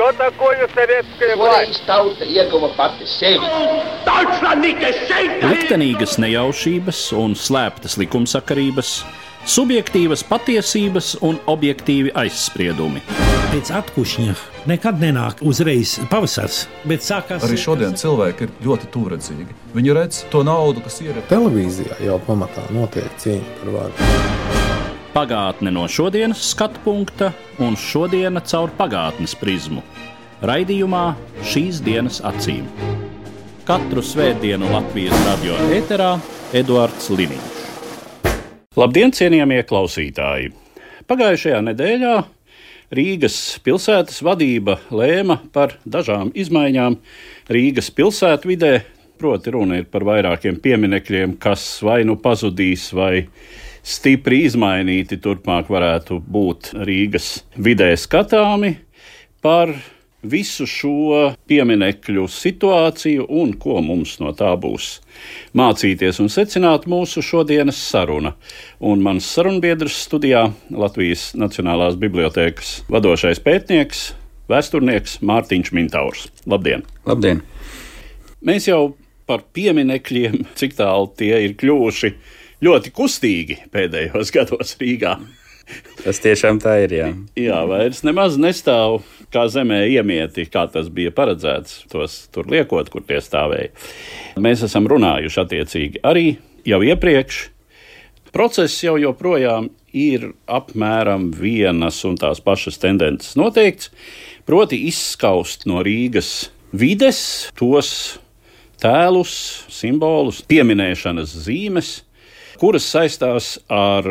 Что такое советская власть? Liktenīgas nejaušības un slēptas likumsakarības, subjektīvas patiesības un objektīvi aizspriedumi. Pēc atkušņa nekad nenāk uzreiz pavasars, bet sākās... Arī šodien cilvēki ir ļoti tūredzīgi. Viņi redz to naudu, kas ir... Televīzijā jau pamatā notiek cīņa par varu. Pagātne no šodienas skatu punkta un šodiena caur pagātnes prizmu. Raidījumā Šīs dienas acīm. Katru svētdienu Latvijas radio ēterā Eduards Liniņš. Labdien, cienījamie klausītāji! Pagājušajā nedēļā Rīgas pilsētas vadība lēma par dažām izmaiņām Rīgas pilsētvidē. Proti runa ir par vairākiem pieminekļiem, kas vai nu pazudīs, vai stipri izmainīti turpmāk varētu būt Rīgas vidē skatāmi. Par visu šo pieminekļu situāciju un ko mums no tā būs mācīties un secināt mūsu šodienas saruna. Un mans sarunbiedrs studijā Latvijas Nacionālās bibliotēkas vadošais pētnieks, vēsturnieks Mārtiņš Mintaurs. Labdien! Labdien! Mēs jau par pieminekļiem, cik tālu tie ir kļuvuši ļoti kustīgi pēdējos gados Rīgā. Tas tiešām tā ir, jā. Jā, vairs nemaz nestāv kā zemē iemieti, kā tas bija paredzēts, tos tur liekot, kur tie stāvēja. Mēs esam runājuši attiecīgi arī jau iepriekš. Process jau joprojām ir apmēram vienas un tās pašas tendences noteikts, proti izskaust no Rīgas vides tos tēlus, simbolus, pieminēšanas zīmes, kuras saistās ar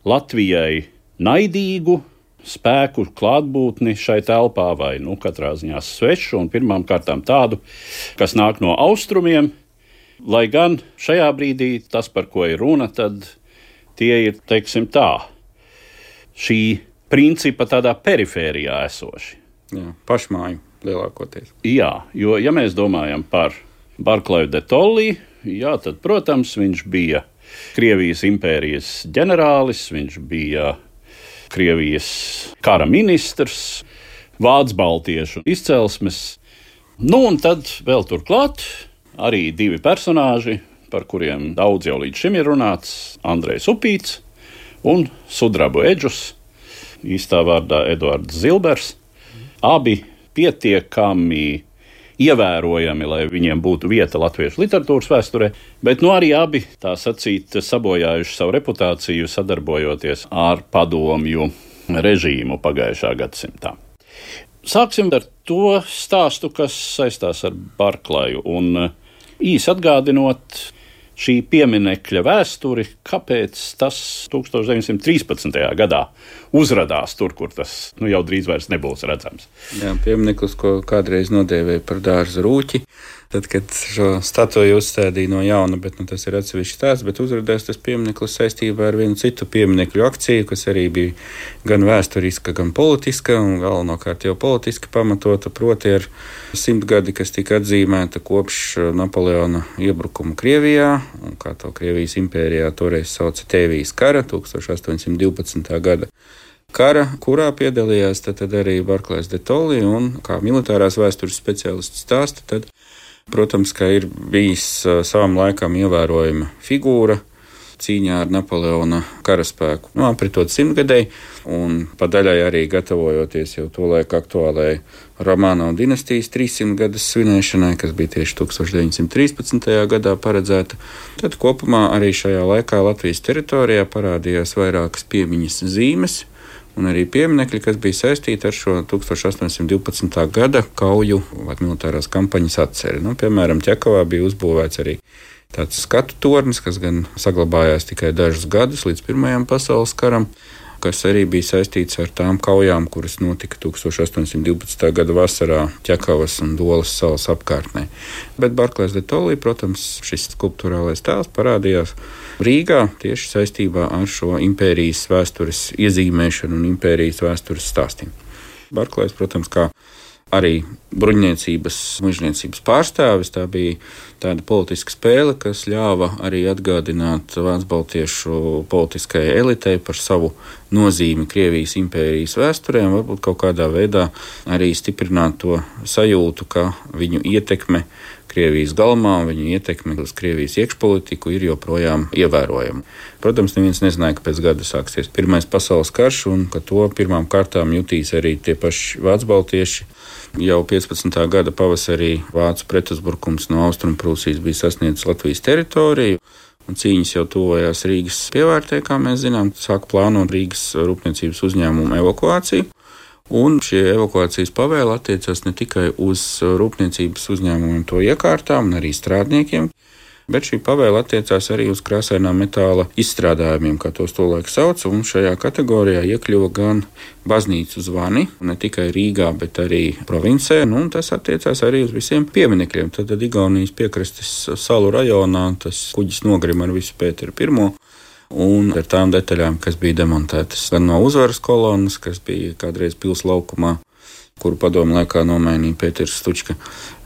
Latvijai naidīgu spēku klātbūtni šai telpā, vai katrā ziņā svešu, un pirmām kārtām tādu, kas nāk no austrumiem, lai gan šajā brīdī tas, par ko ir runa, tad tie ir, teiksim tā, šī principa tādā perifērijā esoši. Jā, pašmāju lielākoties. Jā, jo ja mēs domājam par Barclay de Tolly, jā, tad, protams, viņš bija Krievijas impērijas ģenerālis, viņš bija Krievijas kara ministrs, vācu-baltiešu izcelsmes. Un tad vēl turklāt arī divi personāži, par kuriem daudz jau līdz šim ir runāts, Andrejs Upīts un Sudrabu Edžus, īstā vārdā Eduards Zilbers. Abi pietiekami ievērojami, lai viņiem būtu vieta latviešu literatūras vēsturē, bet arī abi, tā sacīt, sabojājuši savu reputāciju, sadarbojoties ar padomju režīmu pagājušā gadsimtā. Sāksim ar to stāstu, kas saistās ar Barclayu, un īsi atgādinot šī pieminekļa vēsturi, kāpēc tas 1913. gadā uzradās tur, kur tas jau drīz vairs nebūs redzams. Jā, piemineklis, ko kādreiz nodēvēja par dārza rūķi, tad, kad šo statuju uzstādīja no jauna, bet tas ir atsevišķs stāsts, bet uzradās tas piemineklis saistībā ar vienu citu pieminekļu akciju, kas arī bija gan vēsturiska, gan politiska, un galvenokārt jau politiski pamatota, proti ar 100 gadi, kas tika atzīmēta kopš Napoleona iebrukuma Krievijā, un kā to Krievijas impērijā toreiz sauca Tēvijas kara, 1812. gada kara, kurā piedalījās tad arī Barclays de Tolly, un kā militārās vēstures speciālists stāsta, tad, protams, ka ir bijis savam laikam ievērojama figūra cīņā ar Napoleona karaspēku. Apritot 100-gadēji, un pa daļai arī gatavojoties jau to laiku aktuālajai Romanovas dinastijas 300 gadas svinēšanai, kas bija tieši 1913. gadā paredzēta. Tad kopumā arī šajā laikā Latvijas teritorijā parādījās vairākas piemiņas zīmes, un arī pieminekļi, kas bija saistīti ar šo 1812. gada kauju vai militārās kampaņas atceri. Piemēram, Ķekavā bija uzbūvēts arī tāds skatu tornis, kas gan saglabājās tikai dažus gadus līdz Pirmajam pasaules karam, kas arī bija saistīts ar tām kaujām, kuras notika 1812. gada vasarā Ķekavas un Dolas salas apkārtnē. Bet Barclays de Tolly, protams, šis skulptūrālais tēls parādījās Rīgā tieši saistībā ar šo impērijas vēstures iezīmēšanu un impērijas vēstures stāstiem. Barclays, protams, kā arī bruņniecības, mužniecības pārstāvis, tā bija tāda politiska spēle, kas ļāva arī atgādināt vācu-baltiešu politiskajai elitei par savu nozīmi Krievijas impērijas vēsturē un varbūt kaut kādā veidā arī stiprināt to sajūtu, ka viņu ietekme Krievijas galmā un viņu ietekme uz Krievijas iekšpolitiku ir joprojām ievērojama. Protams, neviens nezināja, ka pēc gada sāksies Pirmais pasaules karš un ka to pirmām kārtām jutīs arī tie paši vācbaltieši. Jau 15. gada pavasarī vācu pretuzbrukums no Austrumprūsijas bija sasniedzis Latvijas teritoriju. Un cīņas jau tuvojās Rīgas pievārtē, kā mēs zinām, sāk plānot Rīgas rūpniecības uzņēmumu evakuāciju. Un šie evakuācijas pavēli attiecas ne tikai uz rūpniecības uzņēmumiem to iekārtām un arī strādniekiem, bet šī pavēle attiecās arī uz krāsainā metāla izstrādājumiem, kā tos tolaik sauc, un šajā kategorijā iekļuva gan baznīcu zvani, ne tikai Rīgā, bet arī provincē, un tas attiecās arī uz visiem pieminekļiem. Tad Igaunijas piekrastes salu rajonā tas kuģis nogrima ar visu Pēteru I, un ar tām detaļām, kas bija demontētas gan no uzvaras kolonas, kas bija kādreiz pils laukumā, kuru padomu laikā nomainīja Pēters Stučka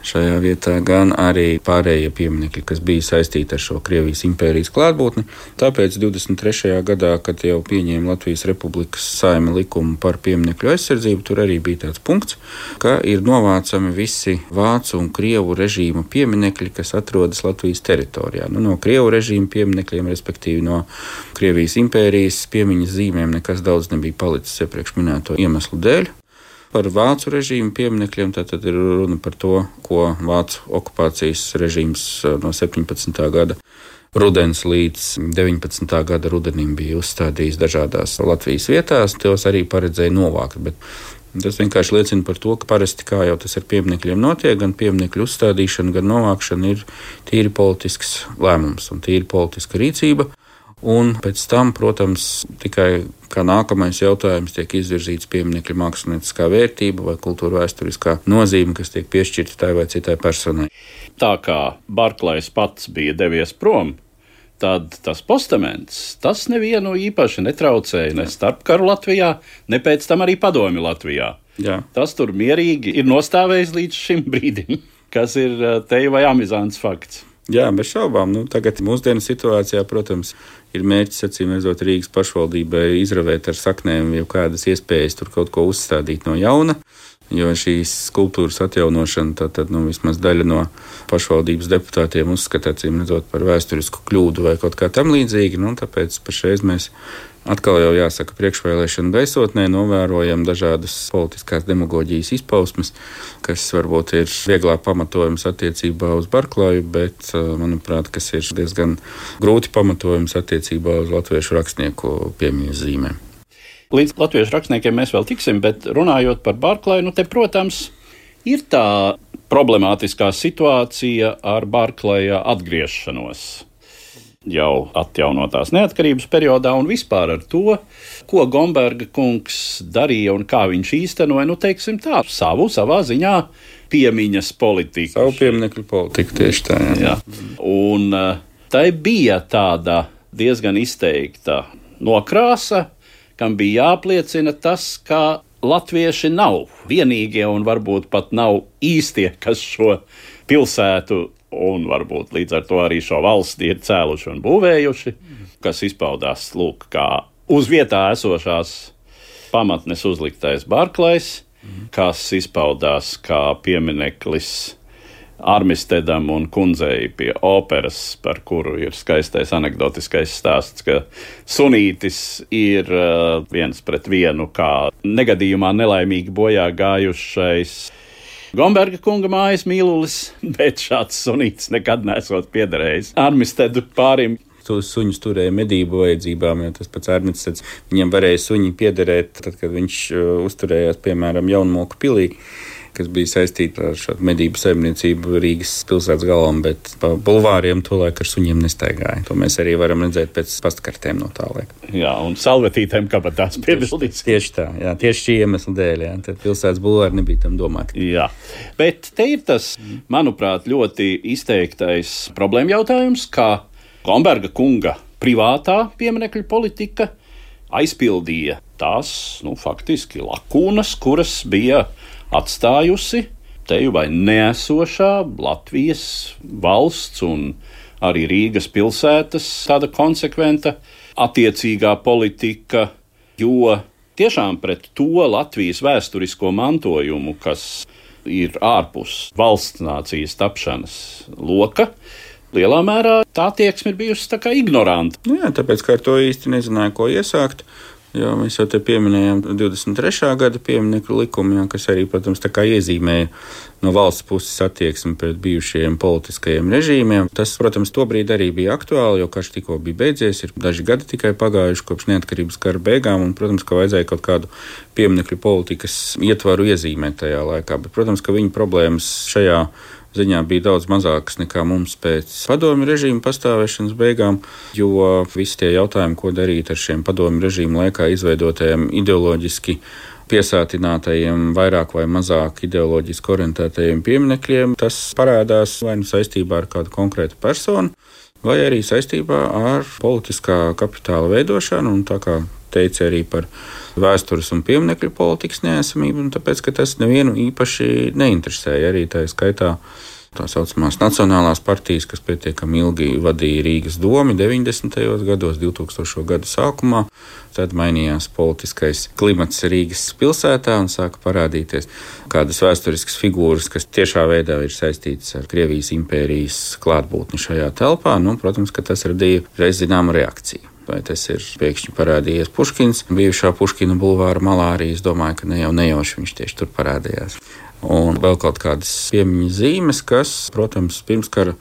šajā vietā, gan arī pārējie pieminekļi, kas bija saistīti ar šo Krievijas impērijas klātbūtni. Tāpēc 23. gadā, kad jau pieņēma Latvijas Republikas Saeima likumu par pieminekļu aizsardzību, tur arī bija tāds punkts, ka ir novācami visi vācu un krievu režīma pieminekļi, kas atrodas Latvijas teritorijā. No krievu režīma pieminekļiem, respektīvi no Krievijas impērijas piemiņas zīmēm, nekas daudz nebija palicis iepriekš minēto iemeslu dēļ. Par vācu režīmu pieminekļiem tātad ir runa par to, ko vācu okupācijas režīms no 17. gada rudens līdz 19. gada rudenim bija uzstādījis dažādās Latvijas vietās. Tos arī paredzēja novākt, bet tas vienkārši liecina par to, ka parasti, kā jau tas ar pieminekļiem notiek, gan pieminekļu uzstādīšana, gan novākšana ir tīri politisks lēmums un tīri politiska rīcība. Un pēc tam, protams, tikai kā nākamais jautājums tiek izvirzīts pieminekļa mākslinieckā vērtība vai kultūra vēsturiskā nozīme, kas tiek piešķirta tai vai citai personai. Tā kā Barklajs pats bija devies prom, tad tas postaments, tas nevienu īpaši netraucēja ne starpkaru Latvijā, ne pēc tam arī padomju Latvijā. Jā. Tas tur mierīgi ir nostāvējis līdz šim brīdim, kas ir teju vai amizants fakts. Jā, bez šaubām. Tagad mūsdienu situācijā, protams, ir mērķis, acīm redzot, Rīgas pašvaldībai izravēt ar saknēm jau kādas iespējas tur kaut ko uzstādīt no jauna, jo šīs skulptūras atjaunošana, tad vismaz daļa no pašvaldības deputātiem uzskata, acīm redzot, par vēsturisku kļūdu vai kaut kā tam līdzīgi, tāpēc pašreiz mēs atkal jau jāsaka priekšvēlēšanu gaisotnē novērojam dažādas politiskās demagoģijas izpausmes, kas varbūt ir vieglāk pamatojums attiecībā uz Barklaju, bet, manuprāt, kas ir diezgan grūti pamatojums attiecībā uz latviešu rakstnieku piemiņas zīmēm. Līdz latviešu rakstniekiem mēs vēl tiksim, bet runājot par Barklaju, te, protams, ir tā problemātiskā situācija ar Barklaja atgriešanos jau atjaunotās neatkarības periodā un vispār ar to, ko Gomberga kungs darīja un kā viņš īstenoja, teiksim tā, savā ziņā piemiņas politiku. Savu pieminekļu politiku, tieši tā. Jā. Un tai bija tāda diezgan izteikta nokrāsa, kam bija jāapliecina tas, ka latvieši nav vienīgie un varbūt pat nav īstie, kas šo pilsētu un varbūt līdz ar to arī šo valsti ir cēluši un būvējuši, kas izpaudās, kā uz vietā esošās pamatnes uzliktais Barklajs, kas izpaudās kā piemineklis Armistedam un kundzei pie operas, par kuru ir skaistais anekdotiskais stāsts, ka sunītis ir 1:1 kā negadījumā nelaimīgi bojā gājušais Gomberga kunga mājas mīlulis, bet šāds sunītis nekad nesot piederējis Armistedu pārim. Tos suņus turēja medību vajadzībām, jo tas pats Armisteds, viņam varēja suņi piederēt, tad, kad viņš uzturējās, piemēram, Jaunmoku pilī, kas bija saistīta ar šādu medību saimniecību Rīgas pilsētas galvam, bet pa bulvāriem tolaik ar suņiem nestaigāja. To mēs arī varam redzēt pēc pastkartēm no tā laika. Jā, un salvetītēm kabatās piebildīts. Tieši tā, jā, tieši šī iemesla dēļ, jā, tad pilsētas bulvāri nebija tam domāti. Jā, bet te ir tas, manuprāt, ļoti izteiktais problēma jautājums, ka Gomberga kunga privātā pieminekļu politika aizpildīja tās, faktiski lakūnas, kuras bija atstājusi teju vai neesošā Latvijas valsts un arī Rīgas pilsētas tāda konsekventa attiecīgā politika Jo tiešām pret to Latvijas vēsturisko mantojumu, kas ir ārpus valsts nācijas tapšanas loka, lielā mērā tā attieksme ir bijusi tā kā ignoranta. Jā, tāpēc, ka ar to īsti nezināja, ko iesākt. Jo mēs jau te pieminējām 23. gada pieminekļu likumu, kas arī, protams, tā kā iezīmēja no valsts puses attieksmi pret bijušajiem politiskajiem režīmiem. Tas, protams, tobrīd arī bija aktuāli, jo karš tikko bija beidzies, ir daži gadi tikai pagājuši kopš neatkarības kara beigām, un, protams, ka vajadzēja kaut kādu pieminekļu politikas ietvaru iezīmēt tajā laikā. Bet, protams, ka viņu problēmas šajā ziņā bija daudz mazākas nekā mums pēc padomju režīma pastāvēšanas beigām, jo visi tie jautājumi, ko darīt ar šiem padomju režīma laikā izveidotajiem ideoloģiski piesātinātajiem, vairāk vai mazāk ideoloģiski orientētajiem pieminekļiem, tas parādās vai nu saistībā ar kādu konkrētu personu, vai arī saistībā ar politiskā kapitāla veidošanu, un tā kā teica arī par vēstures un pieminekļu politikas neesamību, un tāpēc, ka tas nevienu īpaši neinteresēja. Arī tā skaitā tā saucamās nacionālās partijas, kas pietiekami ilgi vadīja Rīgas domu 90. gados, 2000. gadu sākumā. Tad mainījās politiskais klimats Rīgas pilsētā un sāka parādīties kādas vēsturiskas figūras, kas tiešā veidā ir saistītas ar Krievijas impērijas klātbūtni šajā telpā. Protams, ka tas radīja reiz zināmu reakciju. Vai tas ir pēkšņi parādījies Puškins, bijušā Puškina bulvāra malā arī, es domāju, ka nejauši viņš tieši tur parādījās. Un vēl kaut kādas piemiņas zīmes, kas, protams, pirmskara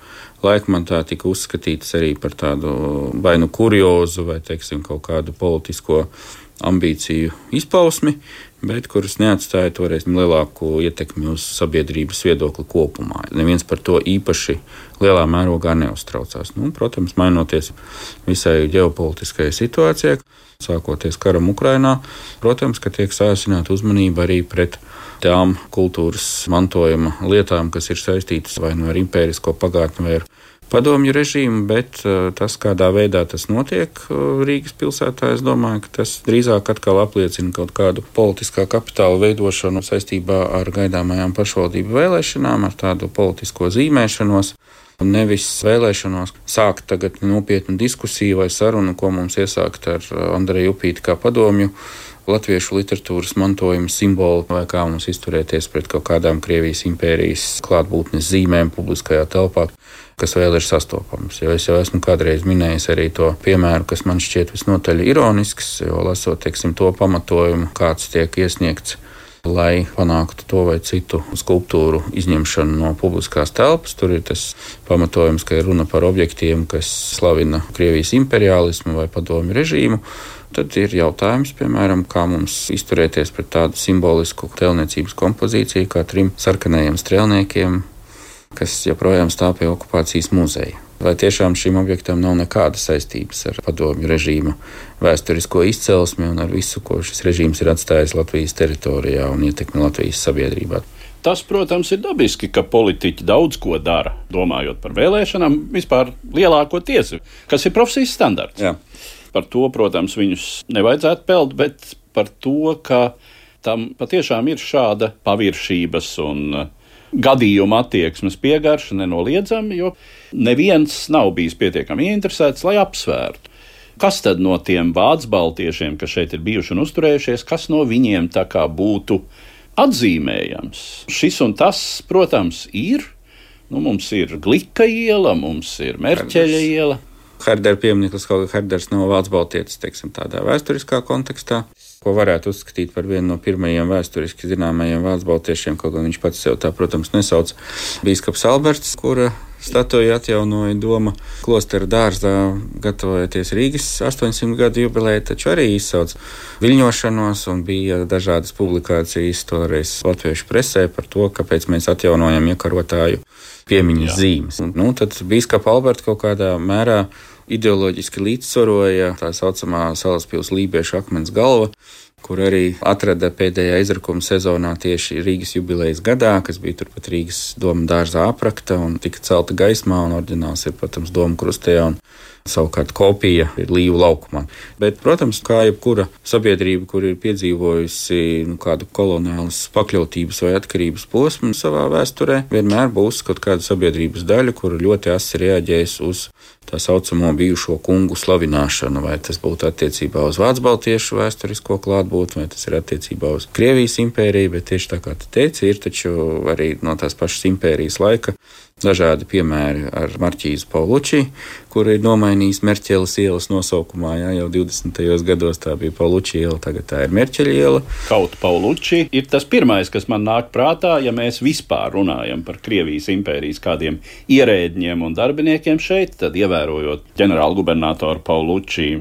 laikmatā tika uzskatītas arī par tādu vai nu kuriozu, vai, teiksim, kaut kādu politisko ambīciju izpausmi, bet kuras neatstāja toreiz lielāku ietekmi uz sabiedrības viedokli kopumā. Neviens par to īpaši lielā mērogā neuztraucās. Protams, mainoties visai ģeopolitiskajai situācijai, sākoties karam Ukrainā, protams, ka tiek sāsināta uzmanība arī pret tām kultūras mantojuma lietām, kas ir saistītas vai nu ar impērisko pagātni vai ar padomju režīmu, bet tas, kādā veidā tas notiek Rīgas pilsētā, es domāju, ka tas drīzāk atkal apliecina kaut kādu politiskā kapitāla veidošanu saistībā ar gaidāmajām pašvaldību vēlēšanām, ar tādu politisko zīmēšanos. Nevis vēlēšanos sākt tagad nopietnu diskusiju vai sarunu, ko mums iesākt ar Andreju Upīti kā padomju latviešu literatūras mantojuma simbolu, vai kā mums izturēties pret kaut kādām Krievijas impērijas klātbūtnes zīmēm publiskajā telpā, kas vēl ir sastopams. Jo es jau esmu kādreiz minējis arī to piemēru, kas man šķiet visnotaļ ironisks, jo lasot, teiksim, to pamatojumu, kāds tiek iesniegts, lai panāktu to vai citu skulptūru izņemšanu no publiskās telpas. Tur ir tas pamatojums, ka ir runa par objektiem, kas slavina Krievijas imperiālismu vai padomju režīmu. Tad ir jautājums, piemēram, kā mums izturēties pret tādu simbolisku tēlniecības kompozīciju kā 3 sarkanajiem strēlniekiem, kas joprojām stāv pie okupācijas muzeja. Vai tiešām šim objektam nav nekāda saistības ar padomju režīma vēsturisko izcelsmi un ar visu, ko šis režīms ir atstājis Latvijas teritorijā un ietekmi Latvijas sabiedrībā? Tas, protams, ir dabiski, ka politiķi daudz ko dara, domājot par vēlēšanām, vispār lielākoties, kas ir profesijas standarts. Jā. Par to, protams, viņus nevajadzētu pelt, bet par to, ka tam patiešām ir šāda paviršības un gadījuma attieksmes piegarša nenoliedzami, jo neviens nav bijis pietiekami ieinteresēts, lai apsvērtu. Kas tad no tiem vācu baltiešiem, kas šeit ir bijuši un uzturējušies, kas no viņiem tā kā būtu atzīmējams? Šis un tas, protams, ir. Mums ir Glika iela, mums ir Merķeļa iela. Herdera piemineklis, kaut kā Herders nav vācu baltietis, teiksim, tādā vēsturiskā kontekstā, ko varētu uzskatīt par vienu no pirmajiem vēsturiski zināmajiem vācu baltiešiem, kaut gan viņš pats sev tā, protams, nesauc. Bīskaps Alberts, kura statuju atjaunoja Doma klostera dārzā, gatavojoties Rīgas 800 gadu jubilejai, taču arī izsauc viļņošanos un bija dažādas publikācijas toreiz latviešu presē par to, kāpēc mēs atjaunojam iekarotāju piemiņas zīmes. Tad bīskapa Alberta kaut kādā mērā ideoloģiski līdzsvaroja tā saucamā Salaspils lībiešu akmens galva, kur arī atrada pēdējā izrakuma sezonā tieši Rīgas jubilejas gadā, kas bija turpat Rīgas Doma dārzā aprakta un tika celta gaismā, un oriģināls ir, protams, Doma krustejā un Savukārt kopija ir Līvu laukumā. Bet, protams, kā jebkura sabiedrība, kur ir piedzīvojusi kādu koloniālas pakļautības vai atkarības posmu savā vēsturē, vienmēr būs kaut kāda sabiedrības daļa, kur ļoti asi reaģēs uz tā saucamo bijušo kungu slavināšanu, vai tas būtu attiecībā uz vācu baltiešu vēsturisko klātbūtni, vai tas ir attiecībā uz Krievijas impēriju, bet tieši tā kā tu teici, ir taču arī no tās pašas impērijas laika dažādi piemēri ar marķīzu Pauluči, kur ir nomainījis Merķeles ielas nosaukumā, jau 20. gados tā bija Pauluči iela, tagad tā ir Merķeļa iela. Kaut Pauluči ir tas pirmais, kas man nāk prātā, ja mēs vispār runājam par Krievijas impērijas kādiem ierēdņiem un darbiniekiem šeit, tad ievērojot ģenerālgubernatoru Pauluči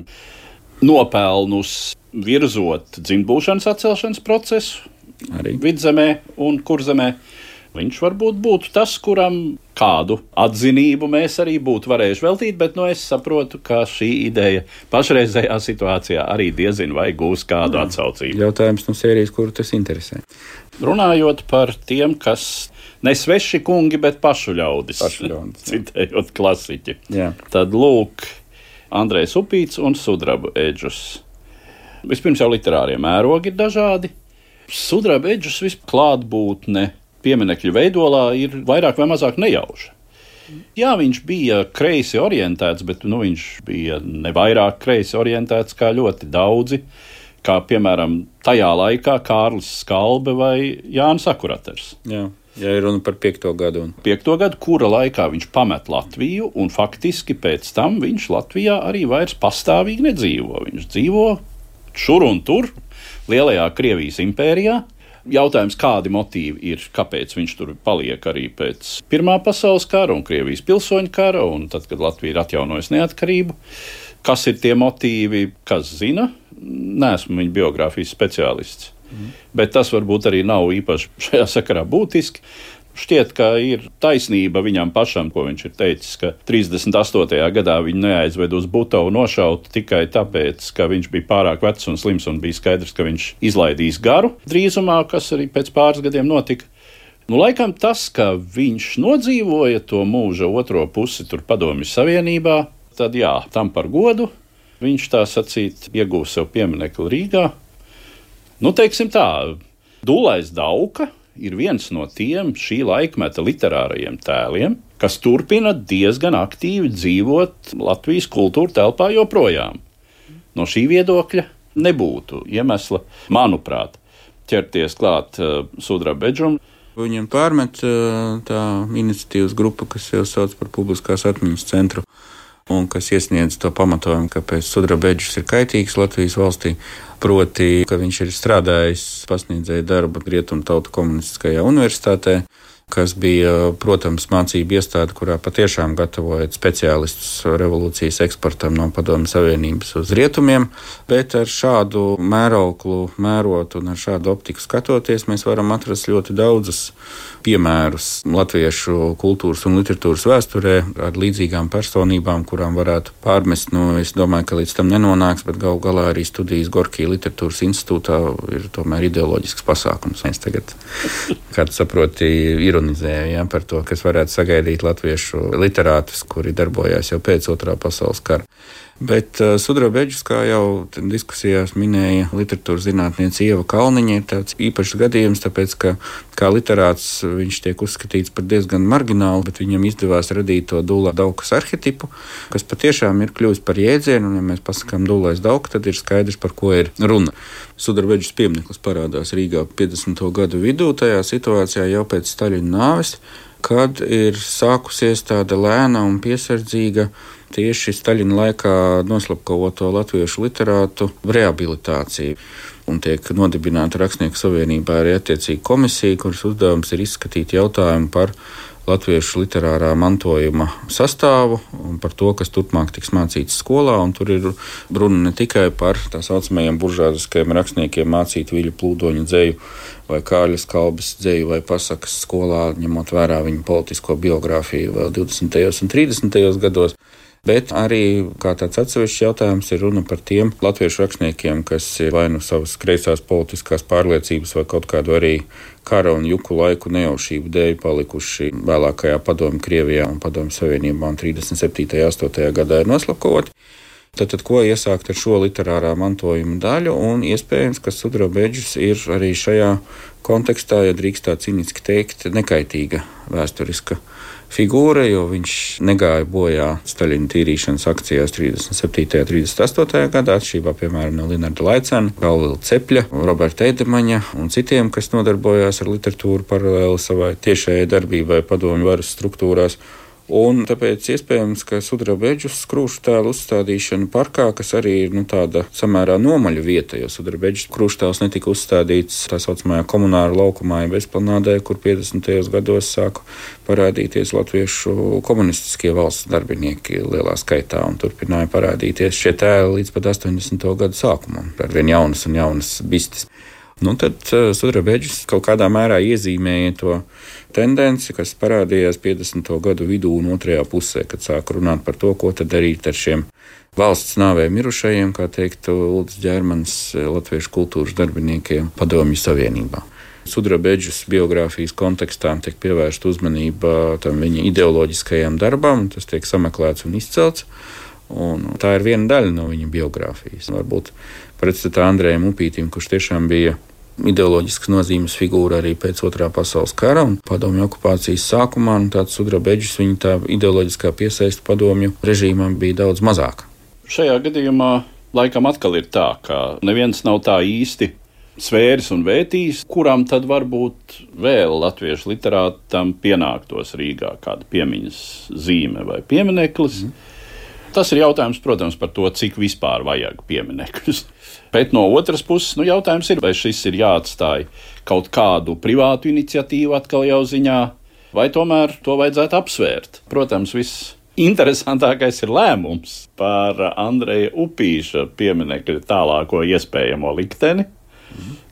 nopelnus virzot dzimtbūšanas atcelšanas procesu arī Vidzemē un Kurzemē, viņš varbūt būtu tas, kuram kādu atzinību mēs arī būtu varējuši veltīt, bet es saprotu, ka šī ideja pašreizējā situācijā arī diezin vai gūs kādu atsaucību. Jautājums no sērijas, kuru tas interesē. Runājot par tiem, kas ne sveši kungi, bet pašu ļaudis. Citējot klasiķi. Jā. Tad lūk, Andrejs Upīts un Sudraba Eģus. Vispirms jau literārie mērogi ir dažādi. Sudraba Eģus visklātbūtne pieminekļu veidolā ir vairāk vai mazāk nejauša. Jā, viņš bija kreisi orientēts, bet viņš bija ne vairāk kreisi orientēts kā ļoti daudzi, kā piemēram tajā laikā Kārlis Skalbe vai Jānis Akuraters. Jā. Ja ir runa par 5. gadu. 5. gadu, kura laikā viņš pamet Latviju, un faktiski pēc tam viņš Latvijā arī vairs pastāvīgi nedzīvo. Viņš dzīvo šur un tur, lielajā Krievijas impērijā. Jautājums, kādi motīvi ir, kāpēc viņš tur paliek arī pēc Pirmā pasaules kara un Krievijas pilsoņu kara, un tad, kad Latvija ir atjaunojusi neatkarību. Kas ir tie motīvi, kas zina? Neesmu viņa biogrāfijas speciālists. Bet tas varbūt arī nav īpaši šajā sakarā būtiski. Šķiet, ka ir taisnība viņam pašam, ko viņš ir teicis, ka 38. gadā viņu neaizved uz Butovu nošaut tikai tāpēc, ka viņš bija pārāk vecs un slims un bija skaidrs, ka viņš izlaidīs garu drīzumā, kas arī pēc pāris gadiem notika. Laikam tas, ka viņš nodzīvoja to mūža otro pusi tur Padomju Savienībā, tad jā, tam par godu. Viņš tā sacīt iegūs sev pieminekli Rīgā. Teiksim tā, Dulais Dauka ir viens no tiem šī laikmeta literārajiem tēliem, kas turpina diezgan aktīvi dzīvot Latvijas kultūra telpā joprojām. No šī viedokļa nebūtu iemesla, manuprāt, ķerties klāt Sudraba Eģum. Viņam pārmet tā iniciatīvas grupa, kas jau sauc par publiskās atmiņas centru, un kas iesniedz to pamatojumu, kāpēc Sudraba Eģus ir kaitīgs Latvijas valstī, proti, ka viņš ir strādājis pasniedzēja darbu Rietumu tautu komunistiskajā universitātē, kas bija, protams, mācību iestāde, kurā patiešām gatavojot speciālistus revolūcijas eksportam no Padomju Savienības uz rietumiem, bet ar šādu mēroklu mērot un ar šādu optiku skatoties, mēs varam atrast ļoti daudzus piemērus latviešu kultūras un literatūras vēsturē ar līdzīgām personībām, kurām varētu pārmest, es domāju, ka līdz tam nenonāks, bet galu galā arī studijas Gorkija literatūras institūtā ir tomēr ideoloģisks pasākums. Mēs tagad, kā tu saproti, ironizēja par to, kas varētu sagaidīt latviešu literātus, kuri darbojās jau pēc Otrā pasaules kara. Bet Sudraba Eģus, kā jau diskusijās minēja literatūras zinātniece Ieva Kalniņa, ir tāds īpašs gadījums, tāpēc, ka kā literāts viņš tiek uzskatīts par diezgan marginālu, bet viņam izdevās radīt to Dulā Daukas arhetipu, kas patiešām ir kļuvis par jēdzienu, un ja mēs pasakām Dulais Dauka, tad ir skaidrs, par ko ir runa. Sudraba Eģus piemineklis parādās Rīgā 50. gadu vidū, tajā situācijā jau pēc Staļina nāves, kad ir sākusies tāda lēna un piesardzīga tieši Staļina laikā noslapkavoto latviešu literātu rehabilitācija. Un tiek nodibināta Rakstnieku savienībā arī attiecīga komisija, kuras uzdevums ir izskatīt jautājumu par latviešu literārā mantojuma sastāvu un par to, kas turpmāk tiks mācīts skolā. Un tur ir runa ne tikai par tā saucamajiem buržāziskajiem rakstniekiem mācīt Viļu Plūdoņa dzeju vai Kārļa Skalbes dzeju vai pasakas skolā, ņemot vērā viņu politisko biogrāfiju vēl 20. un 30. gados. Bet arī kā tāds atsevišķs jautājums ir runa par tiem latviešu rakstniekiem, kas ir vai nu savas kreisās politiskās pārliecības vai kaut kādu arī kara un juku laiku nejaušību dēļ palikuši vēlākajā Padomju Krievijā un Padomju Savienībā un 37. un 8. gadā ir noslapkavoti. Tad ko iesākt ar šo literārā mantojuma daļu, un iespējams, ka Sudrabeģis ir arī šajā kontekstā, ja drīkst tā ciniski teikt, nekaitīga vēsturiska figūra, jo viņš negāja bojā Staļina tīrīšanas akcijās 37. un 38. gadā, atšķirībā, piemēram, no Linarda Laicena, Galvila Cepļa, Roberta Eidemaņa un citiem, kas nodarbojās ar literatūru paralēli savai tiešajai darbībai padomju varas struktūrās. Un tāpēc iespējams, ka Sudrabeģis krūšu tēlu uzstādīšana parkā, kas arī ir tāda samērā nomaļa vieta, jo Sudrabeģis krūšu tēls netika uzstādīts tā saucamajā komunāra laukumā, ja bezplanādē, kur 50. gados sāka parādīties latviešu komunistiskie valsts darbinieki lielā skaitā un turpināja parādīties šie tēli līdz pat 80. gadu sākumam, ar vien jaunas un jaunas bistes. Tad Sudrabeģis kaut kādā mērā iezīmēja to tendenci, kas parādījās 50. gadu vidū un otrajā pusē, kad sāka runāt par to, ko tad darīt ar šiem valsts nāvē mirušajiem, kā teiktu Uldis Ģermanis, latviešu kultūras darbiniekiem Padomju Savienībā. Sudrabeģis biogrāfijas kontekstā tiek pievērsta uzmanība tam viņa ideoloģiskajam darbam, tas tiek sameklēts un izcelts. Un tā ir viena daļa no viņa biogrāfijas. Varbūt pretstatā Andrejam Upītim, kurš tiešām bija ideoloģiskas nozīmes figūra arī pēc Otrā pasaules kara un padomju okupācijas sākumā, un tāds Sudrabeģis, viņa tā ideoloģiskā piesaiste padomju režīmam bija daudz mazāka. Šajā gadījumā laikam atkal ir tā, ka neviens nav tā īsti svēris un vētījis, kuram tad varbūt vēl latviešu literātam pienāktos Rīgā kāda piemiņas zīme vai piemineklis. Tas ir jautājums, protams, par to, cik vispār vajag pieminekļus. Bet no otras puses, jautājums ir, vai šis ir jāatstāj kaut kādu privātu iniciatīvu atkal jau ziņā, vai tomēr to vajadzētu apsvērt. Protams, viss interesantākais ir lēmums par Andreja Upīša pieminekļa tālāko iespējamo likteni,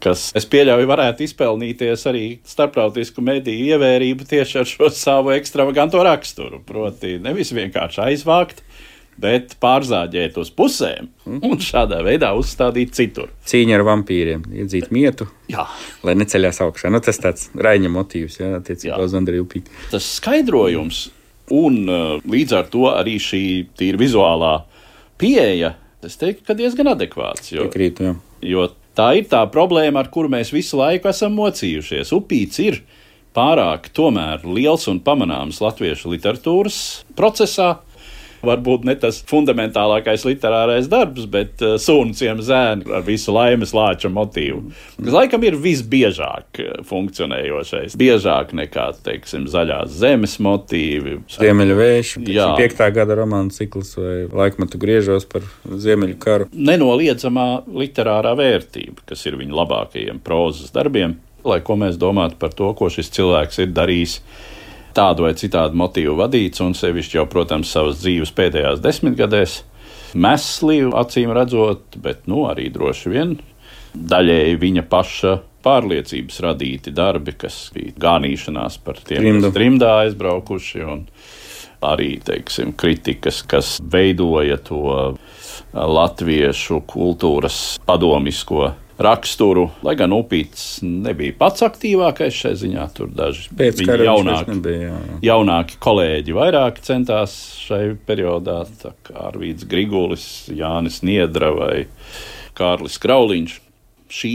kas, es pieļauju, varētu izpelnīties arī starptautisku mediju ievērību tieši ar šo savu ekstravaganto raksturu. Proti, nevis vienkārši aizvākt, bet pārzāģēt uz pusēm un šādā veidā uzstādīt citur. Cīņa ar vampīriem, iedzīt mietu, lai neceļās augšā. Tas tāds Raiņa motīvs, attiecībā uz Andreju Upīti. Tas skaidrojums un līdz ar to arī šī tīra vizuālā pieeja, es teiktu, ka diezgan adekvāts. Jo tā ir tā problēma, ar kuru mēs visu laiku esam mocījušies. Upīts ir pārāk tomēr liels un pamanāms latviešu literatūras procesā. Varbūt ne tas fundamentālākais literārais darbs, bet Sūnu ciema zēni ar visu Laimes Lāča motīvu. Tas laikam ir visbiežāk funkcionējošais. Biežāk nekā, teiksim, Zaļās zemes motīvi. Ziemeļu vēši, 5. gada romānu cikls vai Laikmetu griežos par Ziemeļu karu. Nenoliedzamā literārā vērtība, kas ir viņa labākajiem prozas darbiem, lai ko mēs domātu par to, ko šis cilvēks ir darījis tādu vai citādu motīvu vadīts, un sevišķi jau, protams, savas dzīves pēdējās 10 gadēs mesli, acīm redzot, bet arī droši vien daļēji viņa paša pārliecības radīti darbi, kas bija gānīšanās par tiem, kas trimdā aizbraukuši, un arī, teiksim, kritikas, kas veidoja to latviešu kultūras padomisko raksturu, lai gan Upīts nebija pats aktīvākais šai ziņā, tur daži jaunāki kolēģi vairāk centās šai periodā, tā kā Arvīds Grigulis, Jānis Niedra vai Kārlis Krauliņš. Šī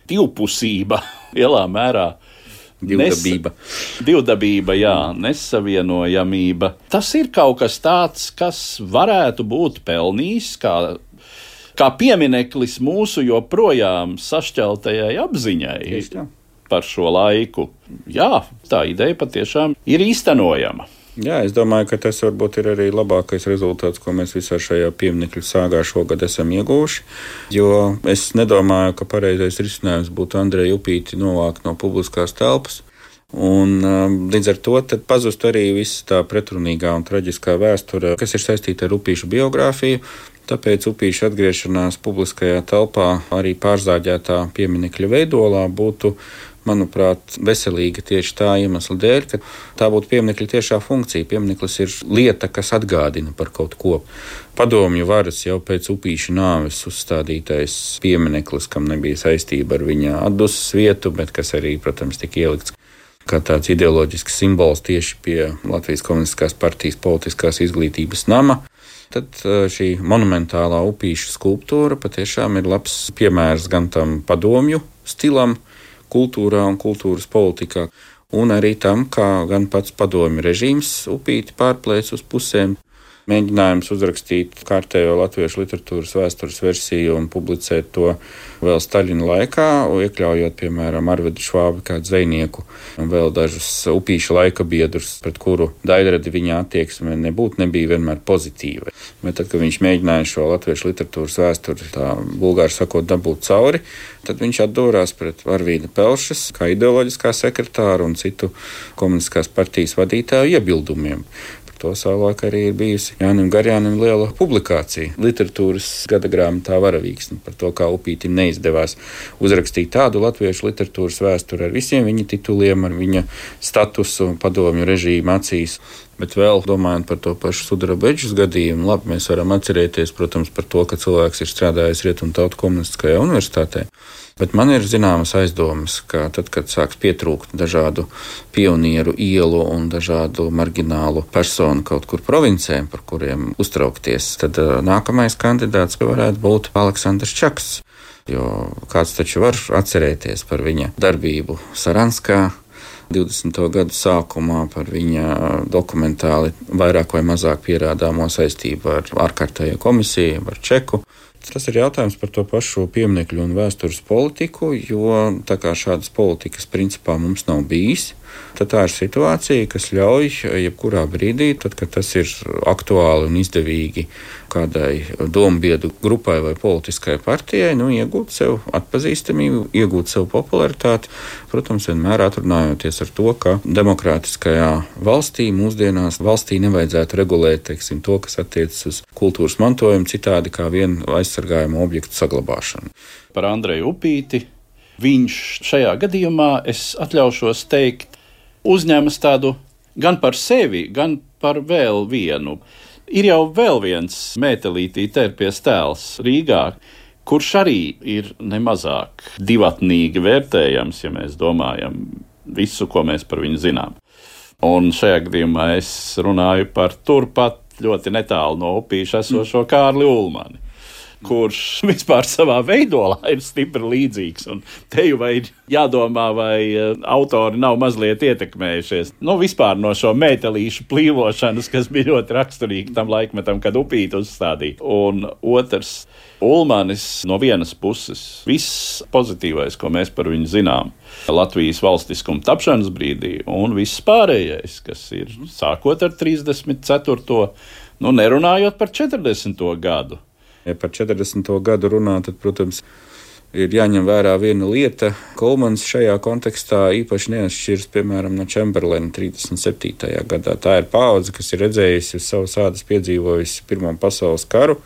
divpusība lielā mērā Divdabība, nesavienojamība. Tas ir kaut kas tāds, kas varētu būt pelnījis kā piemineklis mūsu joprojām sašķeltajai apziņai par šo laiku. Jā, tā ideja patiešām ir īstenojama. Jā, es domāju, ka tas varbūt ir arī labākais rezultāts, ko mēs visā šajā pieminekļu sāgā šogad esam ieguvuši, jo es nedomāju, ka pareizais risinājums būtu Andreju Upīti novākt no publiskās telpas. Un līdz ar to pazust arī viss tā pretrunīgā un traģiskā vēsture, kas ir saistīta ar Upīša biogrāfiju. Tāpēc Upīša atgriešanās publiskajā telpā arī pārzāģētā pieminekļa veidolā būtu manuprāt, veselīga tieši tā iemesla dēļ, ka tā būtu pieminekļa tiešā funkcija. Piemineklis ir lieta, kas atgādina par kaut ko. Padomju varas jau pēc Upīša nāves uzstādītais piemineklis, kam nebija saistība ar viņa atdusmas vietu, bet kas arī, protams, tika ielikts kā tāds ideoloģisks simbols tieši pie Latvijas Komunistiskās partijas politiskās izglītības nama. Tad šī monumentālā Upīša skulptūra patiešām ir labs piemērs gan tam padomju stilam, kultūrā un kultūras politikā, un arī tam, kā gan pats padomju režīms Upīti pārplēc uz pusēm. Mēģinājums uzrakstīt kārtējo latviešu literatūras vēstures versiju un publicēt to vēl Staļina laikā, iekļaujot, piemēram, Arvedu Švābi kā dzejnieku un vēl dažus Upīša laika biedrus, pret kuru Daidradi viņa attieksme nebija vienmēr pozitīva. Bet tad, kad viņš mēģināja šo latviešu literatūras vēsturi, tā bulgāri sakot, dabūt cauri, tad viņš atdūrās pret Arvīda Pelšas kā ideoloģiskā sekretāra un citu komunistiskās partijas vadītāju iebildumiem. To savulaik arī ir bijusi Jānim Garjānim liela publikācija literatūras gada grāmatā Varavīksne par to, kā Upītim neizdevās uzrakstīt tādu latviešu literatūras vēsturi ar visiem viņa tituliem, ar viņa statusu padomju režīmu acīs. Bet vēl domājot par to pašu Sudrabedžas gadījumu, labi, mēs varam atcerēties, protams, par to, ka cilvēks ir strādājis Rietumtautu komunistiskajā universitātē. Bet man ir zināmas aizdomas, ka tad, kad sāks pietrūkt dažādu pionieru ielu un dažādu marginālu personu kaut kur provincē, par kuriem uztraukties, tad nākamais kandidāts varētu būt Aleksandrs Čaks. Jo kāds taču var atcerēties par viņa darbību Saranskā 20. gadu sākumā, par viņa dokumentāli vairāk vai mazāk pierādāmo saistību ar ārkārtējo komisiju, ar Čeku. Tas ir jautājums par to pašu pieminekļu un vēstures politiku, jo tā kā šādas politikas principā mums nav bijis, tad tā ir situācija, kas ļauj jebkurā brīdī, tad, kad tas ir aktuāli un izdevīgi kādai dombiedru grupai vai politiskai partijai, iegūt sev atpazīstamību, iegūt sev popularitāti, protams, vienmēr atrunājoties ar to, ka demokrātiskajā valstī mūsdienās valstī nevajadzētu regulēt, to, kas attiecas uz kultūras mantojumu citādi kā vienu aizsargājumu objektu saglabāšanu. Par Andreju Upīti viņš šajā gadījumā, es atļaušos teikt, uzņemas tādu gan par sevi, gan par vēl vienu. Ir jau vēl viens mētelītī terpies tēls Rīgā, kurš arī ir nemazāk divatnīgi vērtējams, ja mēs domājam visu, ko mēs par viņu zinām. Un šajā gadījumā es runāju par turpat ļoti netālu no Upīša esošo Kārli Ulmani, kurš vispār savā veidolā ir stipri līdzīgs. Un te jau ir jādomā, vai autori nav mazliet ietekmējušies. Vispār no šo mētelīšu plīvošanas, kas bija ļoti raksturīgi tam laikmetam, kad Upīti uzstādīja. Un otrs, Ulmanis no vienas puses, viss pozitīvais, ko mēs par viņu zinām, Latvijas valstiskuma tapšanas brīdī, un viss pārējais, kas ir sākot ar 34. Nerunājot par 40. gadu. Ja par 40. gadu runā, tad, protams, ir jāņem vērā viena lieta. Ulmans šajā kontekstā īpaši neatšķiras, piemēram, no Čemberlena 37. gadā. Tā ir paudze, kas ir redzējusi uz savas ādas piedzīvojusi Pirmo pasaules karu.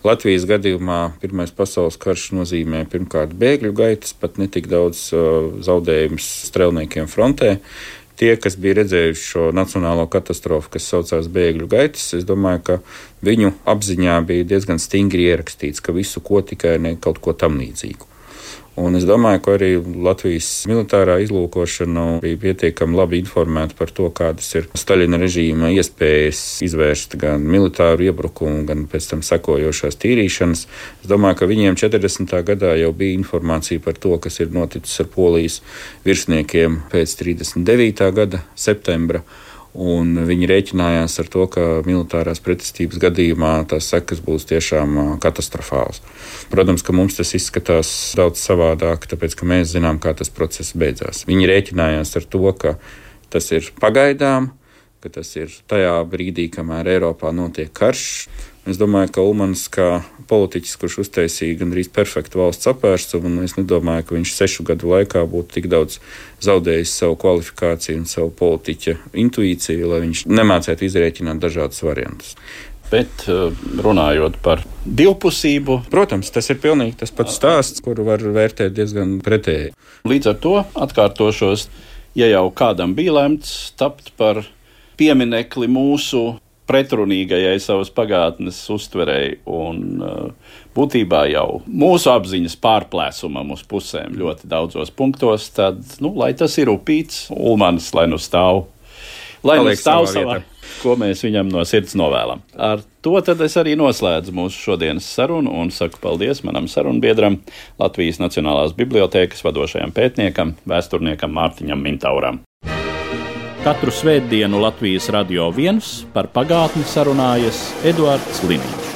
Latvijas gadījumā Pirmais pasaules karš nozīmē pirmkārt bēgļu gaitas, pat netik daudz zaudējumus strelniekiem frontē. Tie, kas bija redzējuši šo nacionālo katastrofu, kas saucās bēgļu gaitas, es domāju, ka viņu apziņā bija diezgan stingri ierakstīts, ka visu ko tikai ne kaut ko tam līdzīgu. Un es domāju, ka arī Latvijas militārā izlūkošana bija pietiekami labi informēta par to, kādas ir Staļina režīma iespējas izvērst gan militāru iebrukumu, gan pēc tam sekojošās tīrīšanas. Es domāju, ka viņiem 40. gadā jau bija informācija par to, kas ir noticis ar Polijas virsniekiem pēc 39. gada septembra. Un viņi rēķinājās ar to, ka militārās pretestības gadījumā tās sekas būs tiešām katastrofālas. Protams, ka mums tas izskatās daudz savādāk, tāpēc, ka mēs zinām, kā tas process beidzās. Viņi rēķinājās ar to, ka tas ir pagaidām, ka tas ir tajā brīdī, kamēr Eiropā notiek karš. Es domāju, ka Ulmans kā politiķis, kurš uztaisīja gandrīz perfektu valsts apvērsumu, un es nedomāju, ka viņš 6 gadu laikā būtu tik daudz zaudējis savu kvalifikāciju un savu politiķa intuīciju, lai viņš nemācētu izrēķināt dažādus variantus. Bet runājot par divpusību, Protams, tas ir pilnīgi tas pats stāsts, kuru var vērtēt diezgan pretēji. līdz ar to atkārtošos, ja jau kādam bija lemts tapt par pieminekli mūsu pretrunīgajai savas pagātnes uztverei un būtībā jau mūsu apziņas pārplēsumam uz pusēm ļoti daudzos punktos, tad, lai tas ir upīts, Ulmanis, lai nu stāv. Lai nu stāv savā, ko mēs viņam no sirds novēlam. Ar to tad es arī noslēdzu mūsu šodienas sarunu un saku paldies manam sarunbiedram, Latvijas Nacionālās bibliotēkas vadošajam pētniekam, vēsturniekam Mārtiņam Mintauram. Katru svētdienu Latvijas Radio 1 par pagātni sarunājas Eduards Liniņš.